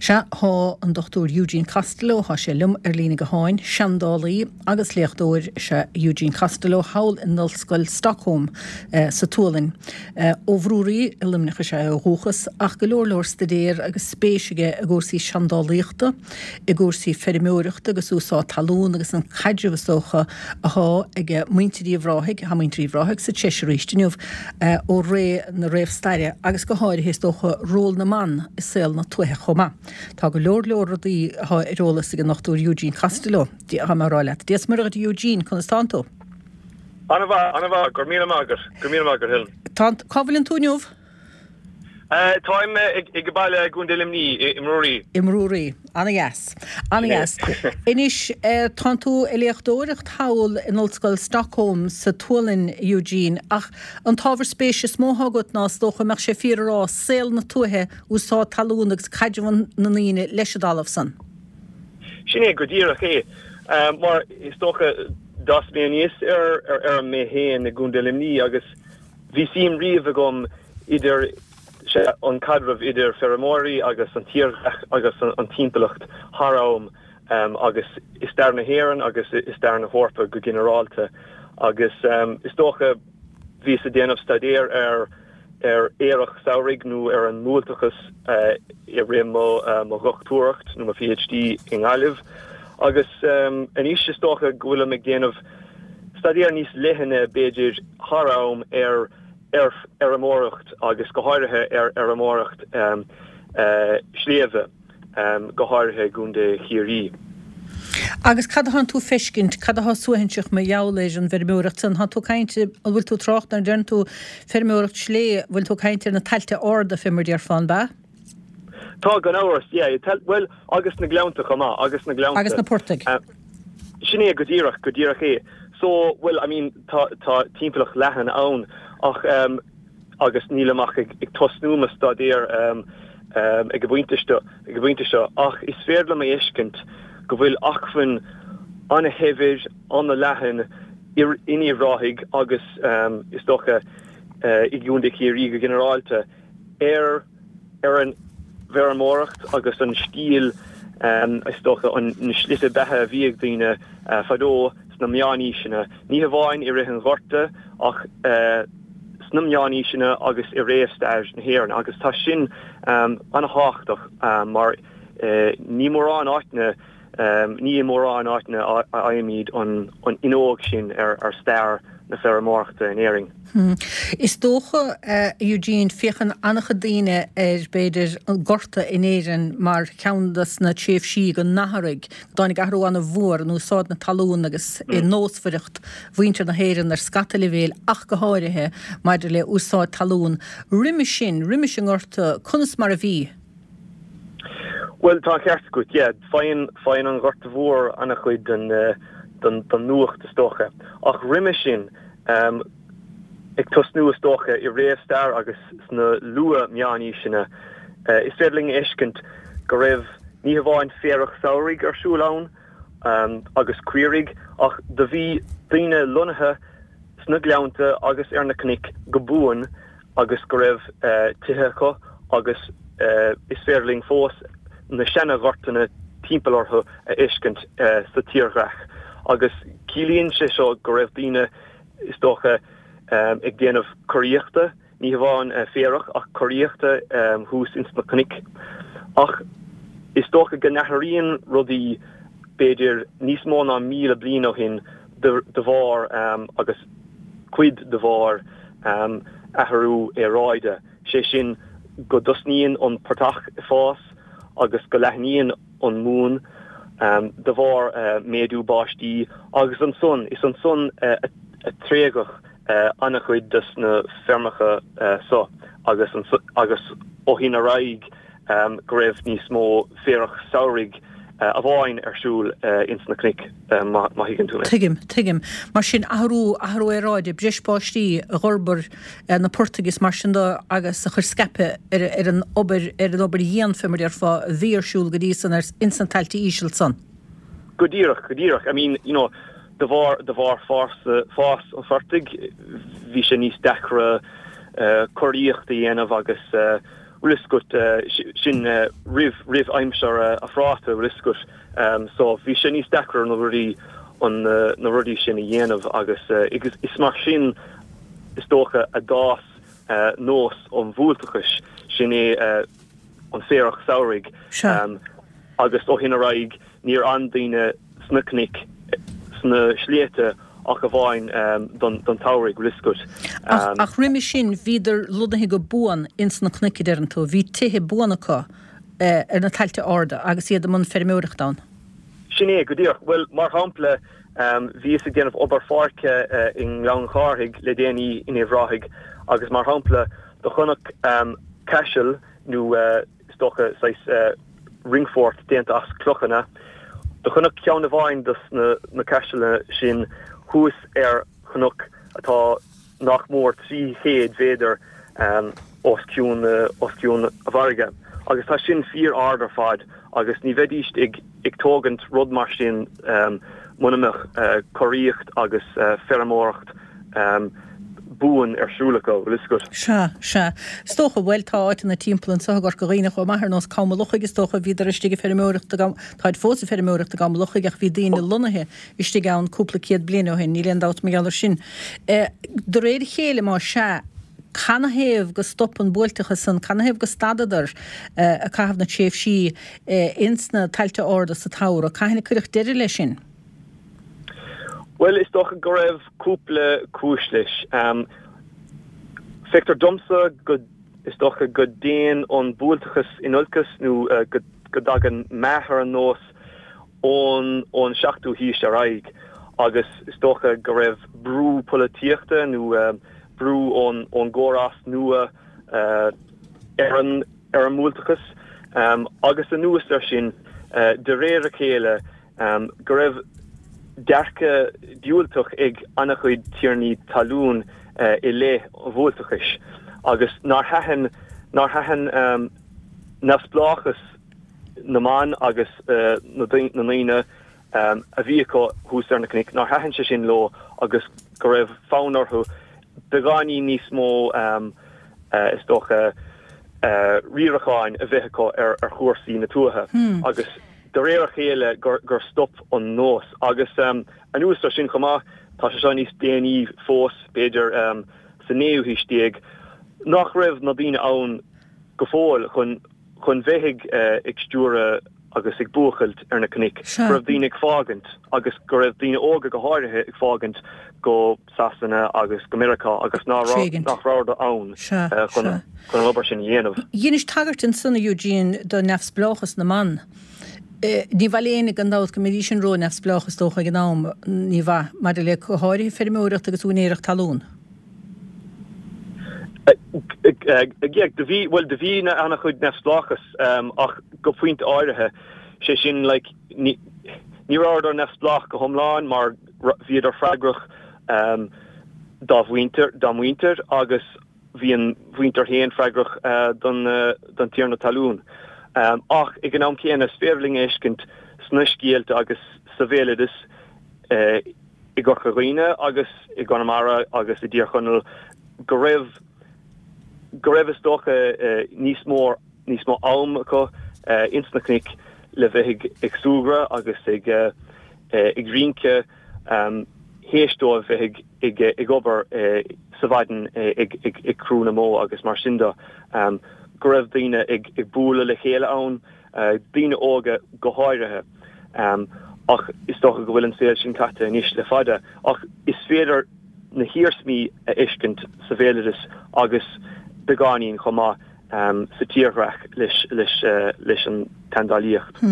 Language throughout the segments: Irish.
Sea, thá an Dr Eugene Costello, thá sé liom ar líne gutháin, seandálaí agus léachtóir is ea Eugene Costello thall in Ollscoil Stockholm sa tSualainn. Ó Bhrúraí i Luimneach is ea é ó dhúchas, ach go leor leor staidéar agus spéis aige i gcúrsaí seandálaíochta, i gcúrsaí feirmeoireachta agus úsáid talún agus an caidreamh is dócha athá ag muintir Uíbh Ráthaigh, thá muintir Uíbh Ráthaigh sa treis arís inniu, ó ré na réamhstaire agus go háirithe is dócha ról na mban i saol na tuaithe chomh maith. Tá go leor leor rudaí athá ar eolas ag an Dr Eugene Costello, thá mé a rá leat. Dia 's Muire dhuit a Eugene, conas tánn tú? Ana-mhaith, ana-mhaith, go raibh míle maith agat, go raibh míle maith agat Helen. Tá, cá bhfuileann tú inniu? Táim ag baile i gContae Luimnigh, i mBrúraí. I mBrúraí. Ana-dheas. Ana-dheas. Anois, tánn tú ag léachtóireacht thall in Ollscoil Stockholm sa tSualainn, Eugene, ach an t-ábhar spéise is mó athá agat ná, is dócha, mbeadh sé fíor a rá, saol na tuaithe, úsáid talún agus caidreamh na ndaoine leis an dtalamh san. Sin é go díreach é. Mar is dócha, d'fhás mé aníos ar fheirm mé féin i gContae Luimnigh agus Bhí suim riamh agam idir an caidreamh idir feirmeoirí agus an tírdhreach agus an timpeallacht thar am agus i stair na hÉireann agus i stair na hEorpa go ginearálta agus is dócha bhíos ag déanamh staidéir ar ar fhéarach samhraidh nó ar an mbuailteachas i rith mo mo dhochtúireacht nó mo PhD i nGaillimh agus anois is dócha go bhfuilim ag déanamh staidéar níos leithne b'fhéidir thar am ar fheirmeoireacht agus go háirithe ar fheirmeoireacht sléibhe, go háirithe i gContae Chiarraí. Agus cad atánn tú ag feiscint, cad atá suaithinseach mar gheall ar an bhfeirmeoireacht san? Thánn tú ag caint, an bhfuil tú ag trácht nuair a deireann tú feirmeoireacht sléibhe, an bhfuil tú ag caint ar na tailte arda fé mar a déarfá, an b'ea? Tá, gan amhras, yeah. Bhuel, agus na gleannta chomh maith, agus na gleannta. Agus na portaigh. Sin é go díreach, go díreach é. So, bhuel, I mean, tá, tá timpeallacht leathan ann ach, agus nílim ach ag, ag tosnú mo staidéar ag an bpointe seo, ag an bpointe seo, ach is féidir liom a fheiscint go bhfuil acmhainn ana-shaibhir, ana-leathan in Uíbh Ráthaigh agus, is dócha, i gContae Chiarraí go ginearálta. ar ar an bhfeirmeoireacht agus an stíl, is dócha, na slite beatha a bhí ag daoine fadó sna meánaoiseanna, ní hamháin i rith an Ghorta ach sna meánaoiseanna agus i réamhstair na hÉireann agus tá sin an-thábhachtach mar ní mórán áiteanna Ní i mórán áiteanna a fhaighimid an fhuinneog sin ar stair na feirmeoireachta in Éirinn. Is dócha, a Eugene, féachann an-chuid daoine ar, b'fhéidir, an Gorta in Éirinn mar cheann des na tréimhsí go n-athraigh, go dtáinig athrú an-mhór in úsáid na talún agus i nósmhaireacht mhuintir na hÉireann ar scata leibhéil ach go háirithe maidir le úsáid talún. Roimis sin, roimis an nGorta, conas mar a bhí? Bhuel, tá an ceart agat, yeah. Faigheann, faigheann an Ghorta Mhór an-chuid den, den, den nuacht is dócha. Ach roimhe sin, ag tosnú is dócha i réamhstair agus sna luath-mheánaoiseanna, is féidir linn a fheiscint go raibh ní hamháin féarach samhraidh ar siúl ann agus caoirigh ach do bhí daoine lonnaithe sna gleannta agus ar na cnoic go buan agus go raibh tithe acu agus is féidir linn fós na seana-ghortanna timpeall orthu a fheiscint sa tírdhreach agus ciallaíonn sé seo go raibh daoine is dócha ag déanamh curaíochta, ní hamháin féarach ach curaíochta thuas ins na cnoic. Ach is dócha go n-athraíonn rudaí b'fhéidir níos mó ná 1,000 bliain ó shin de bharr agus cuid de bharr athrú aeráide, sé sin go dtosnaíonn an portach ag fás agus go leathnaíonn an mhóin de bharr méadú báistí agus ansan, is ansan a tréigeadh an-chuid des na feirmeacha so agus agus ó shin ar aghaidh go raibh níos mó féarach samhraidh amháin ar siúl ins na cnoic, má thuigeann tú mé. Tuigim, tuigim. Mar sin, athrú, athrú aeráide, breis báistí a dh'fhorbair na portaigh is mar sin de agus a chuir scaipeadh ar, ar an obair, ar an obair dhian, fé mar a déarfá, a bhí ar siúl go dtí san ar, ins na tailte íseal san. Go díreach, go díreach. I mean, you know, de bharr, de bharr fás, fás an phortaigh, bhí sé níos deacra curaíocht a dhéanamh agus. Bhfuil fhios agat, sin roimh, roimh aimsir a' phráta, bhfuil fhios agat. So bhí sé níos deacra na rudaí, an, na rudaí sin a dhéanamh agus is mar sin is dócha a d'fhás nós an bhuailteachais, sin é an féarach samhraidh. Sea. Agus ó shin ar aghaidh níor fhan daoine sna cnoic, sna sléibhte ach amháin don tsamhraidh, bhfuil fhios agat. Ach, ach roimhe sin bhíodar lonnaithe go buan ins na cnoic a deireann tú, bhí tithe buan acu ar na tailte arda agus iad i mbun feirmeoireachta ann. Sin é, go díreach. Bhuel, mar shampla, bhíos ag déanamh obair pháirce i nGleann Chárthaigh le déanaí in Uíbh Ráthaigh agus mar shampla, do chonac caiseal nó is dócha saghas ringfort déanta as clochanna. Do chonac ceann amháin dos na caiseala sin thuas ar chnoc atá nach mór 300 mhéadar os cionn os cionn an bhfarraige agus tá sin fíor ard ar fad agus ní bheidíst ag ag tógaint rud mar sin muna mbeadh curaíocht agus feirmeoireacht buan ar siúl acu, bhfuil fhios agat. Sea, sea. Is dócha, bhuel, tá áiteanna timpeall anseo i gCorca Dhuibhne chomh maith, ar nós Com an Lochaigh, is dócha, bhíodar istigh ag feirmeoireacht i gCom, táid fós ag feirmeoireacht i gCom an Lochaigh ach bhí daoine lonnaithe istigh ann cúpla céad bliain ó shin, níl aon dabht mar gheall ar sin. De réir a chéile, má sea, canathaobh go stop an buailteachas san, canathaobh go stadadar ag caitheamh na tréimhsí ins na tailte arda sa tsamhradh, cathain a cuireadh deireadh leis sin? Bhuel, is dócha go raibh cúpla cúis leis. Feictear domsa go, is dócha go dtéann an buailteachas in olcas nó go dtagann meath ar an nós ón ón seachtú haois ar aghaidh agus is dócha go raibh brú polaitíochta nó brú ón ón gcórás nua ar an ar an mbuailteachas agus anuas air sin de réir a chéile go raibh dearcadh diúltach ag an-chuid tiarnaí talún i leith an bhuailteachais agus nár thaitin nár thaitin neamhspleáchas na mban agus na ndaoine a bhí acu thuas ar na cnoic, nár thaitin sé sin leo agus go raibh fonn orthu beagáinín níos mó is dócha riaracháin a bheith acu ar chúrsaí na tuaithe agus de réir a chéile gur stop an nós. Agus anuas ar sin chomh maith, tá sé seo níos déanaí fós, b'fhéidir sa naoú haois déag, nach raibh na daoine ann go fóill chun chun bheith ag ag stiúradh agus ag buachailt ar na cnoic, go raibh daoine ag fágaint agus go raibh daoine óga go háirithe ag fágaint go Sasana agus go Meiriceá agus nach rabhadar ann chun an obair sin a dhéanamh. Dheinis tagairt ansan, a Eugene, do neamhspleáchas na mban. Ní mhaith le éinne gan dabht go mbeidís sin ró-neamhspleách is dócha ag an am, ní mhaith, maidir le go háirithe feirmeoireacht agus úinéireacht talún. Do bhí, bhuel, do bhí an-chuid neamhspleáchas ach go pointe áirithe, sé sin like ní rabhadar neamhspleách go hiomlán mar bhíodar freagrach dá mhuintir, dá muintir agus bhí an mhuintir féin freagrach don don tiarna talún. Ach ag an am céanna is féidir linn a fheiscint sna scéalta agus sa bhéaloideas i gCorca Dhuibhne agus i gConamara agus i dTír Chonaill go raibh go raibh is dócha níos mó níos mó am acu ins na cnoic le bheith ag ag súgradh agus ag ag rince théis dóibh bheith ag ag obair sa mhaidin ag ag ag crú na mbó agus mar sin de go raibh daoine ag ag bualadh le chéile ann daoine óga go háirithe. Ach is dócha go bhfuil an saol sin caite anois le fada. Ach is féidir na hiarsmaí a fheiscint sa bhéaloideas agus beagáinín chomh maith sa tírdhreach leis an tseandálaíocht.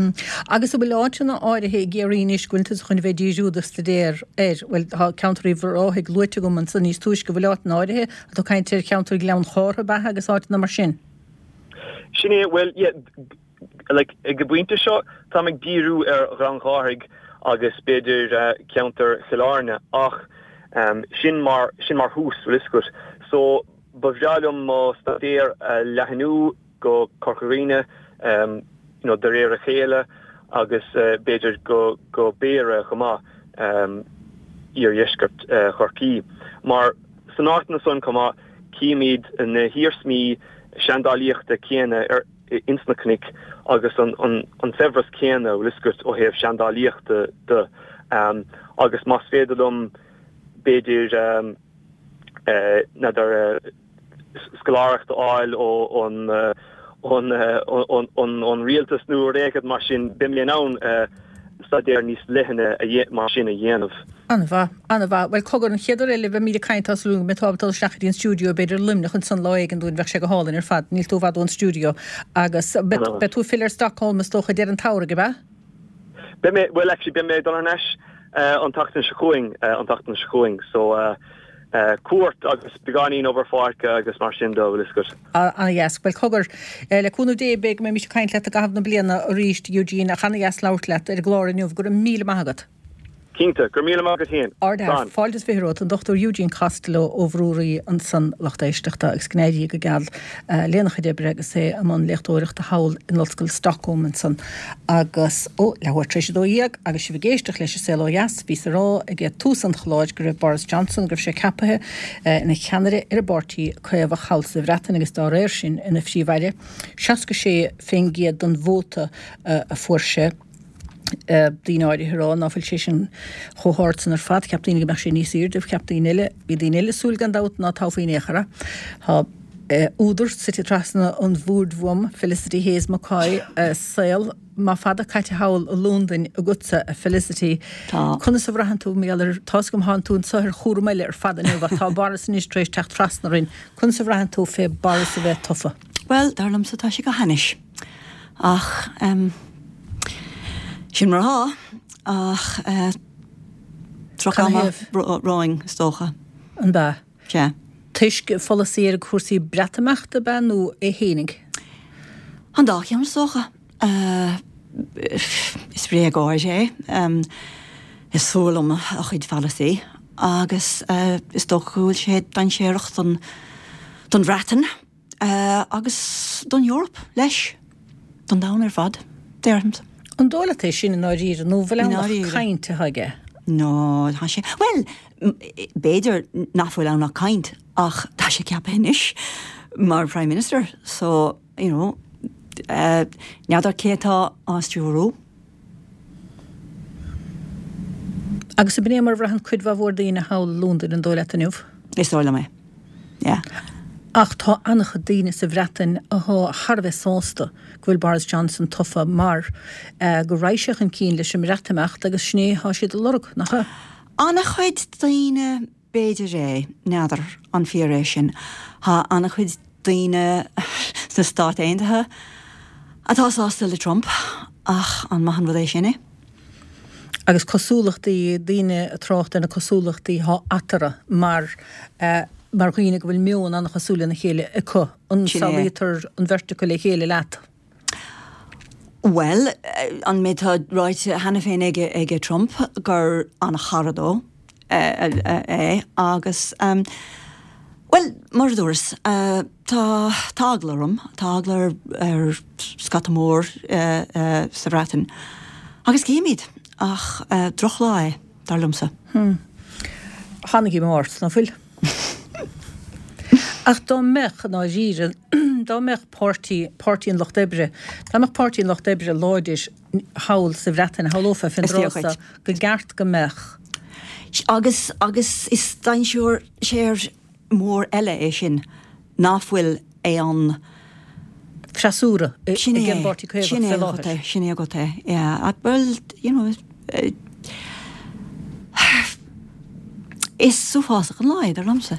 Agus an bhfuil áiteanna áirithe i gCiarraí anois go bhfuil tusa chun a bheith ag díriú do staidéar air? Bhuel, tá ceantar Uíbh Ráthaigh luaite agam ansan níos túisce. An bhfuil áiteanna áirithe? Tá tú ag caint ar cheantar Ghleann Chártha, ab ea, agus áiteanna mar sin? Sin é, bhuel, yeah, like, ag an bpointe seo, táim ag díriú ar Ghleann Chárthaigh agus b'fhéidir ceantar Chill Airne ach sin mar, sin mar thús, bhfuil fhios agat. So, ba bhreá liom mo staidéar a leathnú go Corca Dhuibhne, you know, de réir a chéile agus b'fhéidir go, go Béarra chomh maith, iardheisceart Chorcaí. Mar san áiteanna san chomh maith, címid na hiarsmaí. seandálaíochta céanna ar ins na cnoic agus an an saibhreas céanna, bhfuil fhios agat, ó thaobh seandálaíochta de. Agus más féidir liom b'fhéidir n'fheadar scoláireacht a fháil ón ón rialtas nó rud éigin mar sin, beidh mé in ann staidéar níos leithne mar sin a dhéanamh. An-mhaith, an-mhaith. Bhuel, cogar, an chéad uair eile a bheimid ag caint tá súil agam go mbeidh tú ábalta dul isteach go dtí an stiúideo, b'fhéidir i Luimneach ansan lá éigin dúinn, bheadh sé go hálainn ar fad, níl tú i bhfad ón stiúideo. Agus beidh tú ag filleadh ar Stockholm is dócha deireadh an tsamhraidh, ab ea? Beidh mé, bhuel actually beidh mé ag dul thar n-ais an tseachtain seo chugainn, an tseachtain seo chugainn, so cuairt agus beagáinín obair pháirce agus mar sin de, bhfuil fhios agat. Ana-dheas. Bhuel, cogar, le cúnamh Dé, beidh go mbeimís ag caint leat i gcaitheamh na bliana arís, Eugene, ach ana-dheas labhairt leat ar an gclár inniu. Go raibh míle maith agat. Cinnte. Go raibh míle maith agat féin. Ardfhear. Fáilte is 20 romhat. An Dr Eugene Costello ó Bhrúraí ansan, lucht éisteachta, agus go n-éirí go geal lena chuid oibre agus é i mbun léachtóireachta thall in Ollscoil Stockholm ansan. Agus, ó, leathuair tar éis a 12, agus sibh ag éisteacht leis An Saol Ó Dheas, bhíos ag rá ag tús an chláir go raibh Boris Johnson, go raibh sé ceapaithe ina cheannaire ar an bPáirtí Caomhach thall sa Bhreatain agus dá réir sin ina Phríomh-Aire. 66% den vóta a fuair sé. Daoine áirithe ag rá ná fuil sé sin chomh hard san ar fad. Cheap daoine go mbeadh sé níos aoirde, cheap daoine eile, bhí daoine eile ag súil gan dabht ná toghfaí in aon chor é. Tá údar suite trasna an bhoird uaim, Felicity Hayes McCoy, saol maith fada caite thall i Londain agatsa, a Felicity. Tá. Conas a bhraitheann tú mar gheall ar, tá's agam thánn tú anso ar chúram eile ar fad inniu ach tá Boris anois tar éis teacht trasna orainn. Conas a bhraitheann tú fé Boris a bheith tofa? Bhuel, dar liomsa tá sé go hainnis. Ach, em, sin mar atá. Ach, eh, droch ama romhainn, is dócha. An b'ea? Sea. Toisc pholasaí ar chúrsaí Breatimeachta, ab ea, nó é fhéinig? An dá cheann, is dócha. Is bréagóir é. Is fuath liom a chuid pholasaí agus is dócha go bhfuil sé dainséarach don don Bhreatain agus don Eoraip leis, don domhan ar fad, déarfainnse. An dóigh leat é sin i ndáiríre nó an bhfuil ann ach caint atá aige? No, tá sé, bhuel, b'fhéidir nach bhfuil ann ach caint ach tá sé ceaptha anois mar Prime Minister so, you know, n'fheadar cé atá á stiúrú. Agus ab in é mar a bhraitheann cuid mhaith mhór daoine thall i Londain, an dóigh leat inniu? Is dóigh liom é, yeah. Ach tá an-chuid daoine sa Bhreatain athá thar a bheith sásta go bhfuil Boris Johnson tofa mar go raghaidh sé chun cinn leis an mBreatimeacht agus sin é athá siad a lorg, nach ea? An-chuid daoine B'fhéidir é, n'fheadar an fíor é sin. Tá an-chuid daoine sna Stáit Aontaithe atá sásta le Trump, ach an maith an rud é sin é? Agus cosúlachtaí, daoine ag trácht ar na cosúlachtaí athá eatarthu mar mar dhaoine go bhfuil meon an-chosúil lena chéile acu. An Sin é. samhlaítear an bheirt acu le chéile leat? Bhuel, an méid atá ráite cheana féin aige Trump gur an-chara dó é agus, bhuel, mar a dúras, tá eagla orm, tá eagla ar scata mór sa Bhreatain agus cífimid, ach drochlá é, dar liomsa. Tá an-díomá ort, ná fuil? Ach dá mbeadh, i ndáiríre, dá mbeadh páirtí, Páirtí an Lucht Oibre, dá mbeadh Páirtí an Lucht Oibre láidir thall sa Bhreatain, shamhlófá fén Is fíor dtráth so dhuit. go gceart go mbeadh. Agus, agus is dainséar mór eile é sin, ná fuil aon. freasúra Sin ag é, an bPáirtí Caomhach sin é fé agat láthair. é, sin é agat é, yeah. Bhuel, you know, is uafásach an lá é, dar liomsa.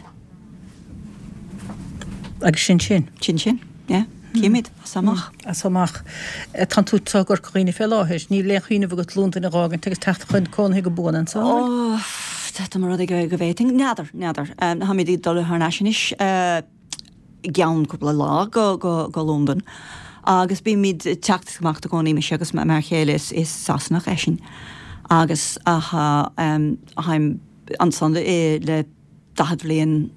Agus sin sin. Sin sin, yeah. Cífimid, as so amach. As so amach. Tánn tú i gCorca Dhuibhne fé láthair. Níl aon chuimhneamh agat Londain a dh'fhágaint agus teacht chun cónaithe go buan anso, an bhfuil? Ó, dá mba rud é go bhféadfainn. N'fheadar, n'fheadar. Táimid ag dul thar n-ais anois. i gceann cúpla lá go Londain agus bímid ag teacht is ag imeacht i gcónaí, mise agus m'fhear chéile, is Sasanach eisean agus táim ansan le 40 bhliain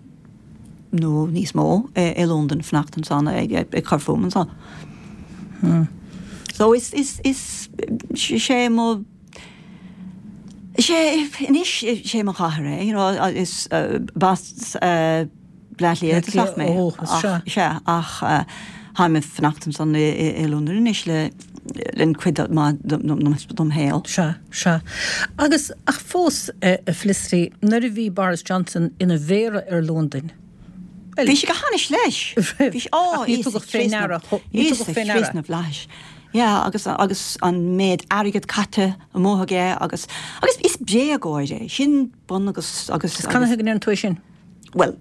nó níos mó i Londain, fanacht ansan ag cur fúm ansan. So is, is, is, sé mo, sé, anois sé mo chathair é, you know, is b'as. Bleá Cliath i dtosach mé. Ó, sea. Sea, ach táim ag fanacht ansan i Londain anois le linn cuid maith dom shaol. Sea, sea. Agus, ach fós, a Felicity, nuair a bhí Boris Johnson ina mhéara ar Londain, bhuel. Bhí sé go hainnis leis! Bhí sé, á, Ach ní tugadh fé ndeara, ní tugadh fé ndeara. Íosa Chríost na bhFlaithis. Yeah, agus, agus an méid airgead caite amuigh aige agus, agus is bréagóir é. Sin bun agus, agus, agus. Canathaobh go ndeireann tú é sin? Bhuel,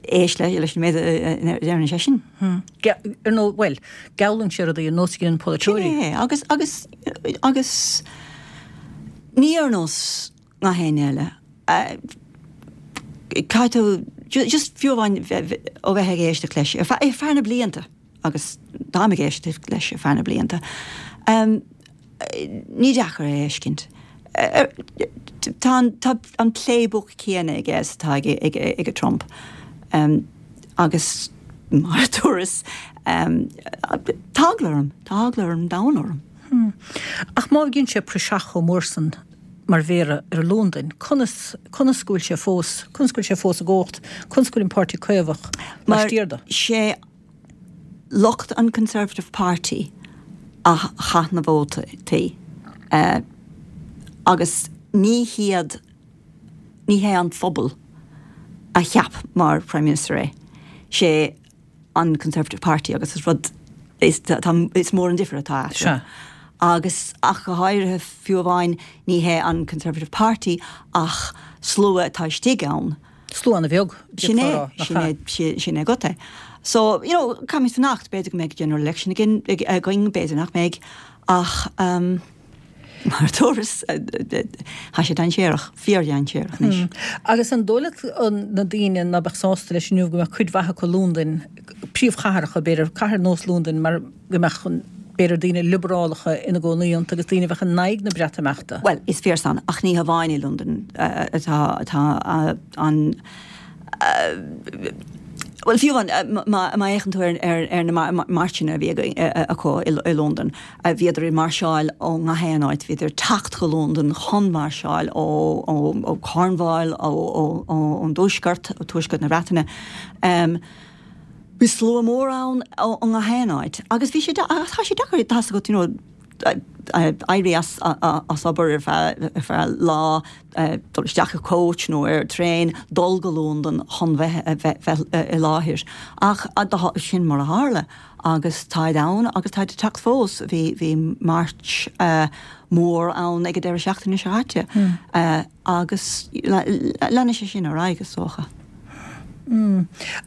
éist leis an méid a deireann seisean. Ar ndóigh, bhuel, geallann sé rudaí ar nós a dhéanann polaiteoirí. Sin é, agus, agus, agus ní ar nós gach éinne eile. Caithfidh tú, just fiú amháin ó bheith ag éisteacht leis ar feadh na blianta, agus táim ag éisteacht leis ar feadh na blianta, Ní deacair é a fheiscint. Tá an playbook céanna aige is atá ag Trump. Agus mar a dúras, tá eagla orm, tá eagla orm, domhain orm. Ach má bhíonn sé praiseach chomh mór san mar mhéara ar Londain, conas, conas go bhfuil sé fós, conas go bhfuil sé fós i gcumhacht, conas go bhfuil an Páirtí Caomhach laistiar de? Mar sé lucht an Conservative Party a chaith na vótaí agus ní hiad, ní hé an phobal a cheap mar Prime Minister é, sé an Conservative Party agus is rud, is, tá, is mór an difear atá eatarthu. Agus ach go háirithe fiú amháin ní hé an Conservative Party ach slua atá istigh ann. Slua an-bheag, Sin é, nach sin é, sin é agat é. So, you know, caithfimid fanacht, b'fhéidir go mbeidh general election again, againn, b'fhéidir nach mbeidh, ach um, mar a dúras, tá sé dainséarach, fíordhainséarach anois. Agus an dóigh leat na daoine ná beadh sásta leis inniu go mbeadh cuid mhaith acu i Londain, príomhchathracha, b'fhéidir, cathair ar nós Londain, mar go mbeadh an, b'fhéidir daoine liobrálacha ina gcónaí iontu agus daoine a bheadh in aghaidh na Breatimeachta. Bhuel, is fíor san, ach ní hamháin i Londain atá, atá an, bhuel, fiú amháin má fhéachann tú ar, ar, ar na mairseanna a bhí acu i Londain, bhíodar ag mairseáil ó ngach aon áit, bhíodar ag teacht go Londain chun mairseáil ó, ó, ó Cornwall, ó, ó, ón dtuaisceart, ó tuaisceart na Breataine. Bhí slua mór ann ó ngach aon áit agus bhí sé, tá sé deacair, tá's agat, you know, éirí as as obair ar feadh ar feadh lá, dul isteach i coach nó ar traein, dul go Londain chun bheith bheith bheith i láthair. Ach sin mar a tharla agus táid ann agus táid ag teacht fós. Bhí bhí march mór ann ag an deireadh seachtaine seo caite. Agus leanfaidh sé sin ar aghaidh, is dócha.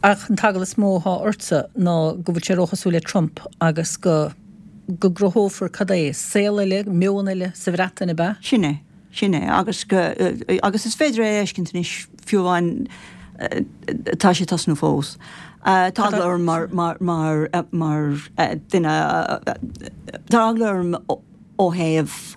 Ach an t-eagla is mó atá ortsa ná go bhfuil sé róchosúil le Trump agus go go gcruthófar, cad é, saol eile, meon eile sa Bhreatain, ab ea? Sin é. Sin é. Agus go, agus is féidir é a fheiscint anois, fiú amháin tá sé ag tosnú fós. Tá eagla orm mar, mar, mar, mar duine, tá eagla orm ó thaobh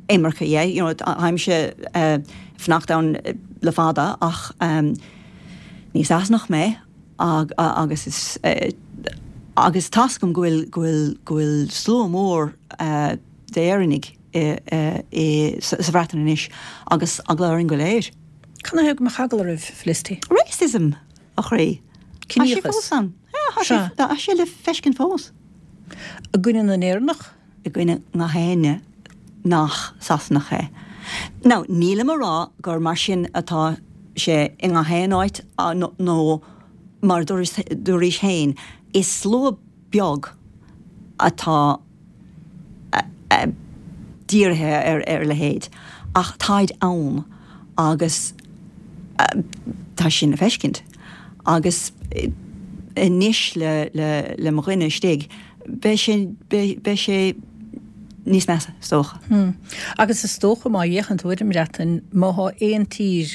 imirce dhe, you know, táimse ag fanacht ann le fada ach ní Sasanach mé agus is agus tá's agam go bhfuil go bhfuil go bhfuil slua mór d'Éireannaigh i i sa Bhreatain anois agus eagla orainn go léir. Canathaobh go mbeadh eagla oraibh, Felicity? Racism, a chroí. Tá sé fós ann. Yeah, tá sé le feiscint fós. I gcoinne na nÉireannach? i gcoinne ngach éinne nach Sasanach é. Now, nílim a rá gur mar sin atá sé i ngach aon áit nó mar a dúraís féin, is slua beag atá dírithe ar a leithéid, ach táid ann agus tá sin le feiscint. Agus anois le mo dhuine istigh, beidh sé, beidh sé níos measa, is dócha. Agus is dócha, má fhéachann tú ar an mBreatain, má thá aon tír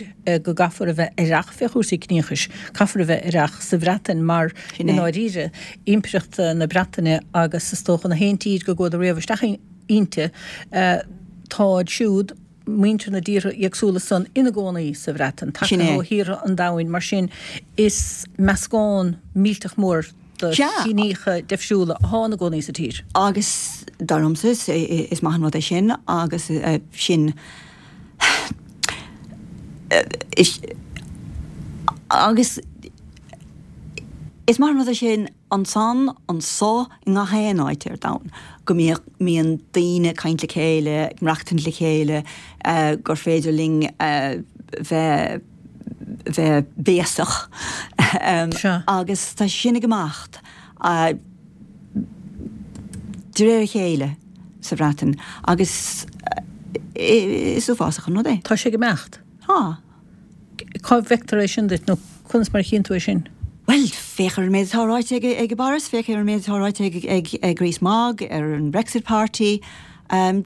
go gcaithfear a bheith aireach fé chúrsaí ciníochais, caithfear a bheith aireach sa Bhreatain mar, i ndáiríre, Impireacht na Breataine agus is dócha an t-aon tír go gcuadar riamh isteach inti, táid siúd, muintir na dtíortha éagsúla san ina gcónaí sa Bhreatain, tagtha ó thíortha an domhain, mar sin is meascán millteach mór de chiníocha difriúla athá ina gcónaí sa tír. Agus dar liomsa is maith an rud é sin agus sin agus. Is maith an rud é sin ansan, anso, i ngach aon áit ar domhan, go mbíodh, mbíonn daoine ag caint le chéile, ag maireachtaint le chéile, gur féidir linn bheith, bheith béasach. Agus tá sin ag imeacht de réir a chéile sa Bhreatain agus is uafásach an rud é. Tá sé ag imeacht? Tá. Cá bhfeictear é sin duit nó conas mar a chíonn tú é sin? Bhuel, féach ar an méid atá ráite ag Boris, féach ar an méid atá ráite ag Rees-Mogg, ar an Brexit Party.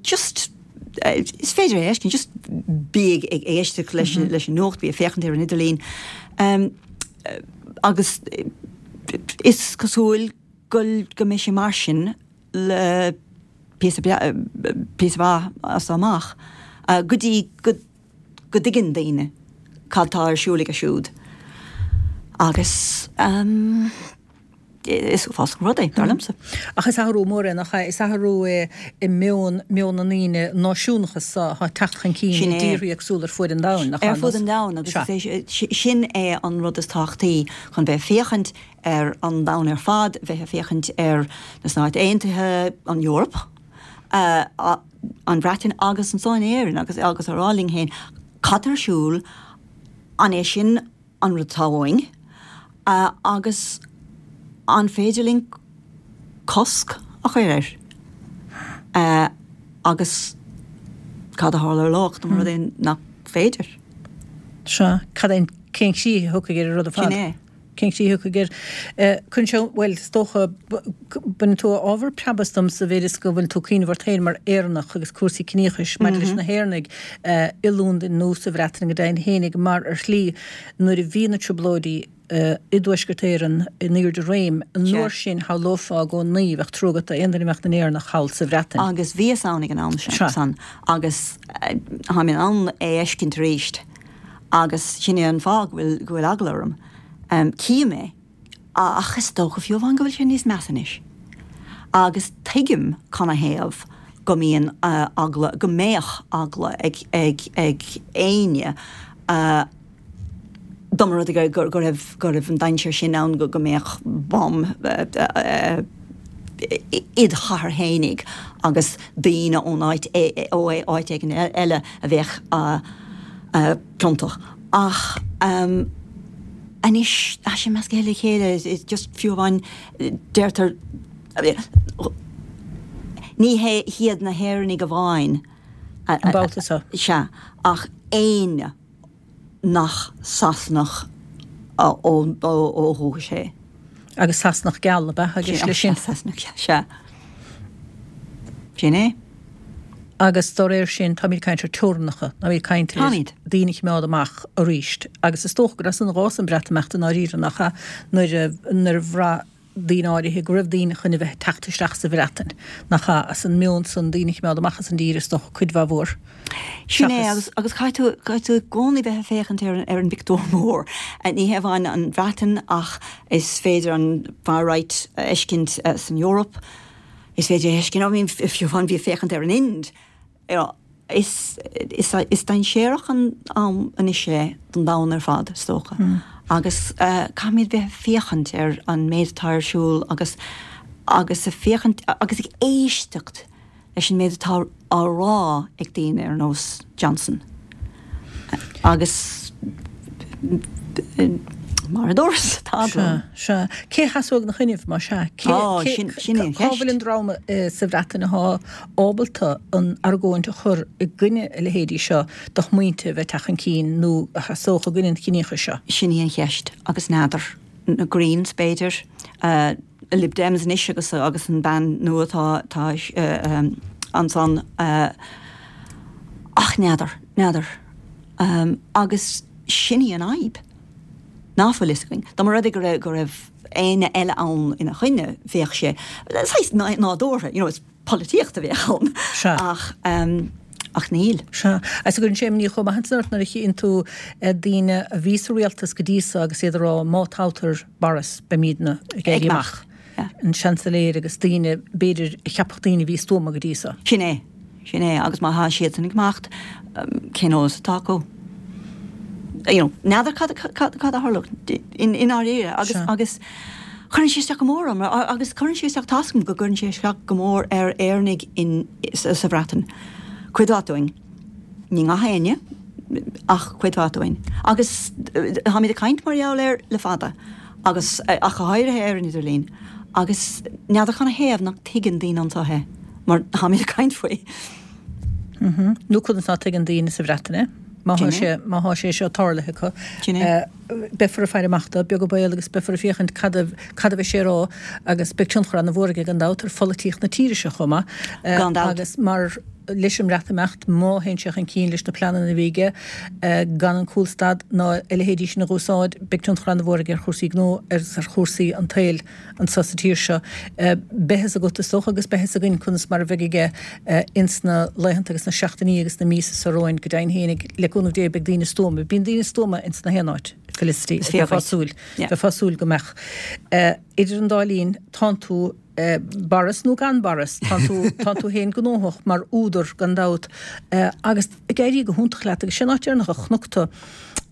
Just, is féidir é a fheiscint, just bí ag éisteacht leis an nuacht, bí ag féachaint ar an idirlíon. Agus is cosúil go mbeidh sé mar sin le píosa maith as seo amach, go dtí go go dtuigeann daoine cad tá ar siúl aige siúd agus is uafásach an rud é, dar liomsa. Ach is athrú mór é, nach ea? Is athrú é i meon, meon na ndaoine, náisiúnachas atá ag teacht chun cinn i dtíortha éagsúla ar fuaid an domhain, nach ea? Ar fud an domhain agus is é sin é an rud is tábhachtaí chun bheith ag féachaint ar an domhan ar fad, bheith ag féachaint ar na Stáit Aontaithe, an Eoraip. an Bhreatain agus anso in Éirinn agus agus a rá linn féin cad tá ar siúl, an é sin an rud atá uainn agus an féidir linn cosc a chur air agus cad a tharlódh dá mba rud é nach féidir. Sea, cad é, cén chrích a thiocfaidh ar an rud ar fad? Sin é. Cén chrích a thiocfaidh air? Cuireann sé, bhuel, is dócha, baineann tú ábhar preab as dom sa mhéid is go bhfuil tú ag cuimhneamh ort féin mar Éireannach agus cúrsaí ciníochais maidir leis na hÉireannaigh i Londain nó sa Bhreatain go deimhin fhéinig mar ar shlí nuair a bhí na trioblóidí i dTuaisceart Éireann in airde réim an uair sin shamhlófá i gcónaí bheadh trua agat d'aon duine a mbeadh ina nÉireannach thall sa Bhreatain. Agus bhíos ann ag an am san agus táim in ann é a fheiscint arís. Agus sin é an fáth go bhfuil, go bhfuil eagla orm. Cím é. Ach is dócha fiú amháin go bhfuil sé níos measa anois. Agus tuigim canathaobh go mbíonn eagla, go mbeadh eagla ag, ag, ag éinne dá mba rud é go, go raibh, go raibh an dainséar sin ann go, go mbeadh bomb id chathair fhéinig agus daoine ón áit, ó áit éigin eile a bheadh ciontach. Ach anois tá sé measctha le chéile, it's just fiú amháin deirtear ní hiad na hÉireannaigh amháin An babhta seo. Sea, ach éinne. nach Sasanach ó dhúchas é. Agus Sasanach geal ab ea agus leis sin. Sasanach geal, sea. Sin é. Agus dá réir sin, táimid ag caint ar teorainneacha, táimid ag caint ar daoine a choimeád amach arís. Agus is dócha gur as san a d'fhás an Breatimeacht i ndáiríre, nach ea, nuair a nuair a bhraith daoine áirithe go raibh daoine chun a bheith ag teacht isteach sa Bhreatain, nach ea, as an meon san daoine a choimeád amach as an dtír, is dócha, cuid mhaith mhór. Sin é, agus, agus caithfidh tú, caithfidh tú i gcónaí bheith ag féachaint ar an, ar an bpictiúr mór. Ní hé amháin an Bhreatain ach is féidir an far right a fheiscint san Eoraip, is féidir a fheiscint, I mean, fiú amháin bí ag féachaint ar an Ind, Is dainséarach an am anois é don domhan ar fad, is dócha, agus caithfimid bheith ag féachaint ar an méid atá ar siúl agus agus ag féachaint agus ag éisteacht leis an méid atá á rá ag daoine ar nós Johnson. Agus mar a dúras, tá eagla orm. Sea, sea. Cé a sheasóidh ina choinnibh, más ea? Cé, cé, sin í an cheist. Cá bhfuil an dream sa Bhreatain atá ábalta an argóint a chur i gcoinne a leithéidí seo de shmaointe a bheith ag teacht chun cinn nó a sheasódh i gcoinne an chiníochais seo? Sin í an cheist, agus n'fheadar. Na Greens, b'fhéidir. Lib Dems anois agus agus an bean nua atá atá ansan. Ach n'fheadar, n'fheadar. Agus sin í an fhadhb. Ná fuil fhios againn. Dá mba rud é go raibh go raibh éinne eile ann ina choinne, bheadh sé saghas nádúrtha, you know, is polaitíocht a bheadh ann. Sea. Ach, ach níl. Sea. Agus cuireann sé imní chomh maith ansan ort nuair a chíonn tú daoine a bhí sa rialtas go dtí so agus iad ag rá má toghtar Boris beimidne ag éirí amach. An Seansailéir agus daoine, b'fhéidir, a cheapfadh daoine a bhí stuama go dtí so. Sin é. Sin é. Agus má tá siadsan ag imeacht, cén eolas atá acu? You know, n'fheadar cad, cad, cad a tharlódh i ndáiríre. Agus, agus. Cuireann sé isteach go mór orm agus cuireann sé isteach, tá's agam go gcuireann sé isteach go mór ar Éireannaigh in, sa Bhreatain. Cuid mhaith dúinn. Ní gach éinne, ach cuid mhaith dúinn. Agus táimid ag caint mar gheall air le fada, agus ach go háirithe ar an idirlíon, agus n'fheadar canathaobh nach dtuigeann daoine anseo é, mar táimid ag caint faoi. Nó conas ná tuigeann daoine sa Bhreatain é, má thá sé, má thá sé seo tarlaithe acu. Sin é. Beifear ag faire amach dó, beag an baol, agus beifear ag féachaint cad a, cad a bheidh sé a rá, agus beidh tionchar ana-mhór aige gan dabht ar pholaitíocht na tíre seo chomh maith. Gan dabht. Agus mar, leis an mBreatimeacht, má théann sé chun cinn leis na pleananna a bhí aige, gan an cúlstad ná a leithéidí sin a dh'úsáid, beidh tionchar ana-mhór aige ar chúrsaí gnó agus ar chúrsaí an tsaoil anso sa tír seo. Beidh fhios agat, is dócha, agus beidh fhios againn conas mar a bheidh aige ins na laethanta agus na seachtainí agus na míosa seo romhainn. Go deimhin fhéinig, le cúnamh Dé, beidh daoine stuama. Bíonn daoine stuama ins na haon áit, Felicity, bheifeá ag súil, bheifeá ag súil go mbeadh. Idir an dá linn, tánn tú, Boris nó gan Boris, tánn tú, tánn tú féin gnóthach mar údar gan dabht agus ag éirí go hiontach leat agus sin áit deireanach a chonac tú.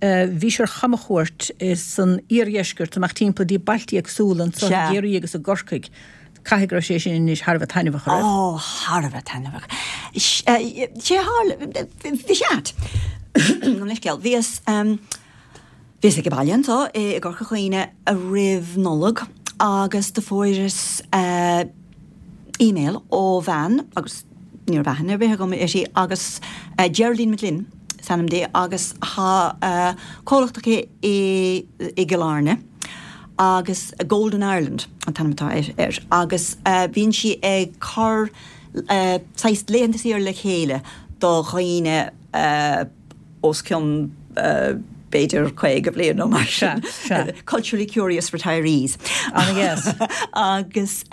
Bhís ar chamchuairt san iardheisceart amach timpeall dtí bailtí éagsúla anso i gCiarraí agus i gCorcaigh. Caithfidh go raibh sé sin anois thar a bheith taitneamhach, an raibh? Ó, thar a bheith taitneamhach. Sé a tharla, bhí sé ait. Gabh mo leithscéal. Bhíos, Bhíos ag baile anso i gCorca Dhuibhne roimh Nollaig agus do fuaireas email ó bhean agus ní raibh aithne ar bith agam uirthi agus Geraldine McGlynn is ainm di agus tá comhlacht aici i i gCill Airne agus Golden Ireland an t-ainm atá air agus bíonn sí ag cur saghas laethanta saoire le chéile do dhaoine os cionn b'fhéidir 50 bliain nó mar sin. Culturally curious retirees. Ana-dheas. Agus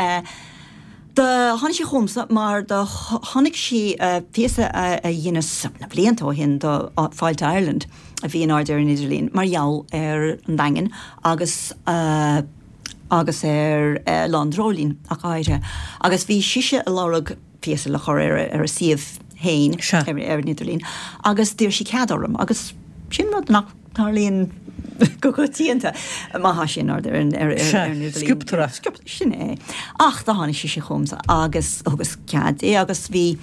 do tháinig sí chugamsa mar do chonaic sí píosa a dheineas na blianta ó shin do Fáilte Ireland a bhí in airde ar an idirlíon mar gheall ar an Daingean agus agus ar Lá an Dreoilín ach go háirithe. Agus bhí sise ag lorg píosa le chur ar a suíomh féin ar an idirlíon agus d'iarr sí cead orm agus sin rud nach dtarlaíonn go coitianta má thá sé in airde ar an idirlíon. Sciobtar é. Sin é. Ach do tháinig sise chugamsa agus thugas cead di agus bhí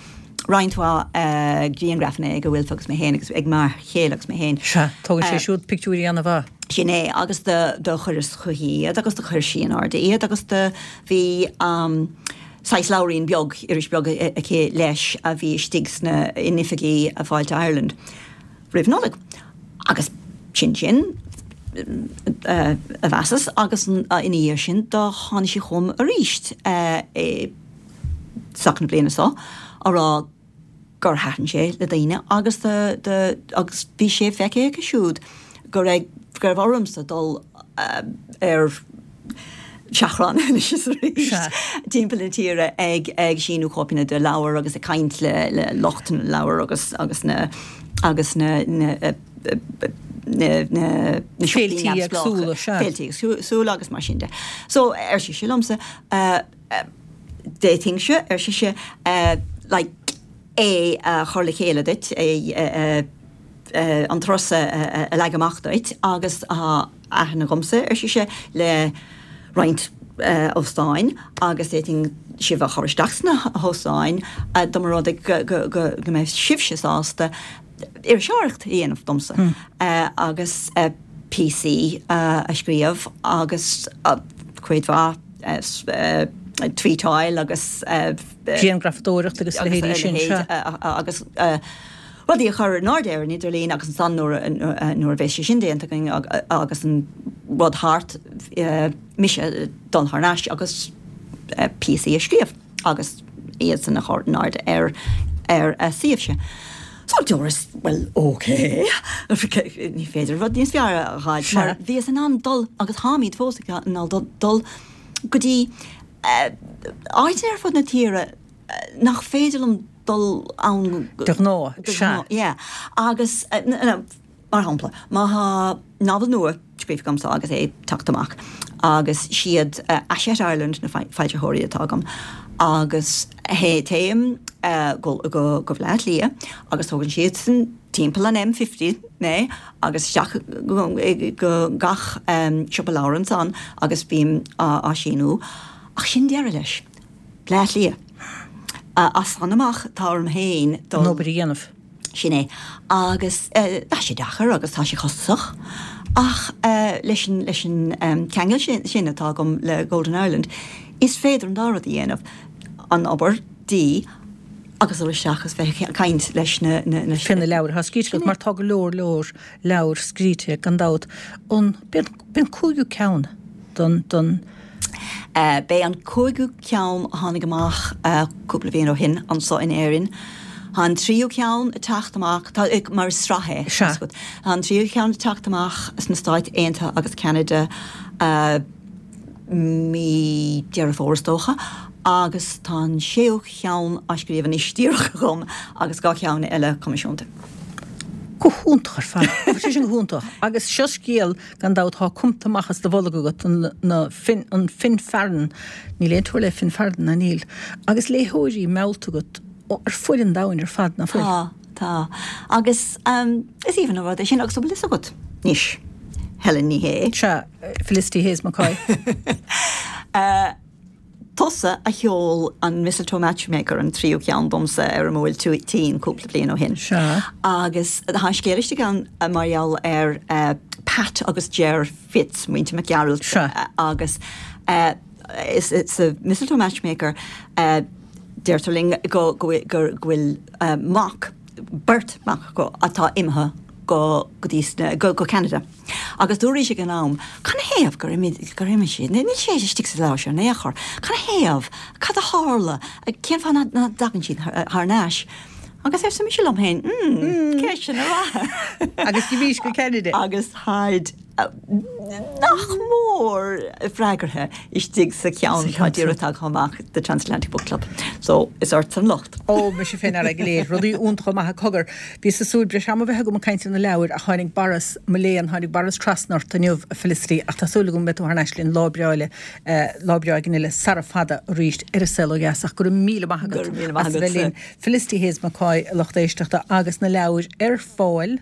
roinnt mhaith grianghrafanna ag Aoife agus mé féin agus ag m'fhear chéile agus mé féin. Sea, tógann sé siúd pictiúirí ana-mhaith. Sin é agus do chuireas chuici iad agus do chuir sí in airde iad agus do bhí saghas leabhairín beag, iris beag aici leis a bhí istigh sna, in oifigí Fáilte Ireland roimh Nollaig. Agus sin sin, a mheasas, agus ina dhiaidh sin do tháinig sí chugam aríst i dtosach na bliana seo á rá gur thaitin sé le daoine agus do, do, agus bhí sé feicthe aici siúd go raibh, go raibh ormsa dul ar seachrán anois is arís timpeall na tíre ag, ag síniú cóipeanna de leabhair agus ag caint le, le lucht na leabhar agus, agus na, agus na, na, na, na, na siopaí neamhspleácha. Féiltí éagsúla agus mar sin de. So, ar sise liomsa, D'fhéadfainnse, ar sise, like, é a chur le chéile duit, é, an turas a leagan amach duit agus tá aithne agamsa, ar sise, le roinnt óstáin agus d'fhéadfainn sibh a chur isteach sna hóstáin dá mba rud é go mbeadh sibhse sásta iriseoireacht a dhéanamh domsa agus píosaí a scríobh agus cuid mhaith tweetáil agus. Grianghrafadóireacht agus a leithéidí sin, sea. Agus rudaí a chur in airde ar an idirlíon agus ansan nuair a bheas sé sin déanta againn agus an rud thart, mise dul thar n-ais agus píosaí a scríobh agus iad san a chur in airde ar ar a suíomhse. So dúras, bhuel, ok, ní féidir rud níos fearr a fháil mar bhíos in ann dul agus táimid fós in ann dul go dtí áiteanna ar fud na tíre nach féidir liom dul ann de ghnáth, sea. Yeah. Agus, mar shampla, má thá novel nua scríofa agamsa agus é ag teacht amach agus siad Hachette Ireland na foilsitheoirí atá agam agus téim go go Baile Átha Cliath agus tógann siadsan. timpeall an M50 mé agus isteach go gach siopa leabhar ansan agus bím á síniú. Ach sin deireadh leis. Bleá Cliath. As san amach tá orm féin dul. An obair a dhéanamh. Sin é. Agus tá sé deacair agus tá sé costasach ach leis an leis an ceangal sin atá agam le Golden Ireland is féidir an dá rud a dhéanamh, an obair dí agus dul isteach agus bheith ag caint leis na na. Fé na leabhair atá scríte agat mar tá go leor leor leabhar scríte gan dabht. An b'é an cúigiú ceann don don. B'é an cúigiú ceann a tháinig amach cúpla bliain ó shin anso in Éirinn. Tá an tríú ceann ag teacht amach, tá, mar is sraith é, Sea. Tá an tríú ceann ag teacht amach sna Stáit Aontaithe agus Ceanada mí Deireadh Fómhair is dócha agus tá an séú cheann á scríobh anois díreach agam agus 2 cheann eile coimisiúnta. Go hiontach ar fad. Tá sé sin go hiontach. Agus seo scéal, gan dabht, atá cumta amach as do bholg agat, an, na, Finn, an Finn Farren, níl aon teora le Finn Farren, ná níl? Agus léitheoirí meallta agat ar fuaid an domhain ar fad, ná fuil? Tá, tá. Agus is aoibhinn an rud é sin agus an bhfuil fhios agat anois, Helen Ní Shé. Sea, Felicity Hayes McCoy. Tusa a sheol an Mistletoe Matchmaker, an tríú ceann domsa ar an mBuailtín cúpla bliain ó shin. Sea. Agus tá an scéal istigh ann mar gheall ar Pat agus Ger Fitz, muintir Mac Gearailt. Sea. Agus sa Mistletoe Matchmaker deirtear linn go bhfuil mac, beirt mhac acu atá imithe go go dtí go Ceanada. Agus dúraís ag an am, Canathaobh gur imigh, gur imigh siad? Níl sé istigh sa leabhar seo in aon chor. Canathaobh? Cad a tharla? Cén fáth nach dtagann siad thar n-ais? Agus arsa mise liom féin, Hmm, ceisteanna mhaithe. Agus d'imís go Ceanada. Agus táid nach mór freagartha istigh sa cheann atá díreach tagtha amach, The Transatlantic Book Club. So, is ortsa an locht. Ó, mise féin ar aghaidh go léir. Rudaí iontacha maithe cogar. Bhíos ag súil breis ama a bheith agam ag caint ar na leabhair ach tháinig Boris, mo léan, tháinig Boris trasna ort inniu, a Felicity, ach tá súil agam go mbeidh tú thar n-ais linn lá breá eile, lá breá éigin eile sara fada arís ar An Saol Ó Dheas ach go raibh míle maith agat as a bheith linn. Felicity Hayes McCoy, a lucht éisteachta, agus na leabhair ar fáil.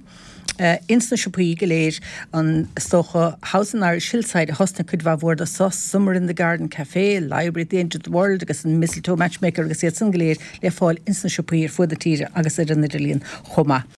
ins na siopaí go léir, an, is dócha, House on Irish Hillside a thosnaigh cuid mhaith mhór de so, Summer in the Garden Café, Library at the End of the World agus an Mistletoe Matchmaker agus iad san go léir le fáil ins na siopaí ar fuaid na tíre agus ar an idirlíon chomh maith.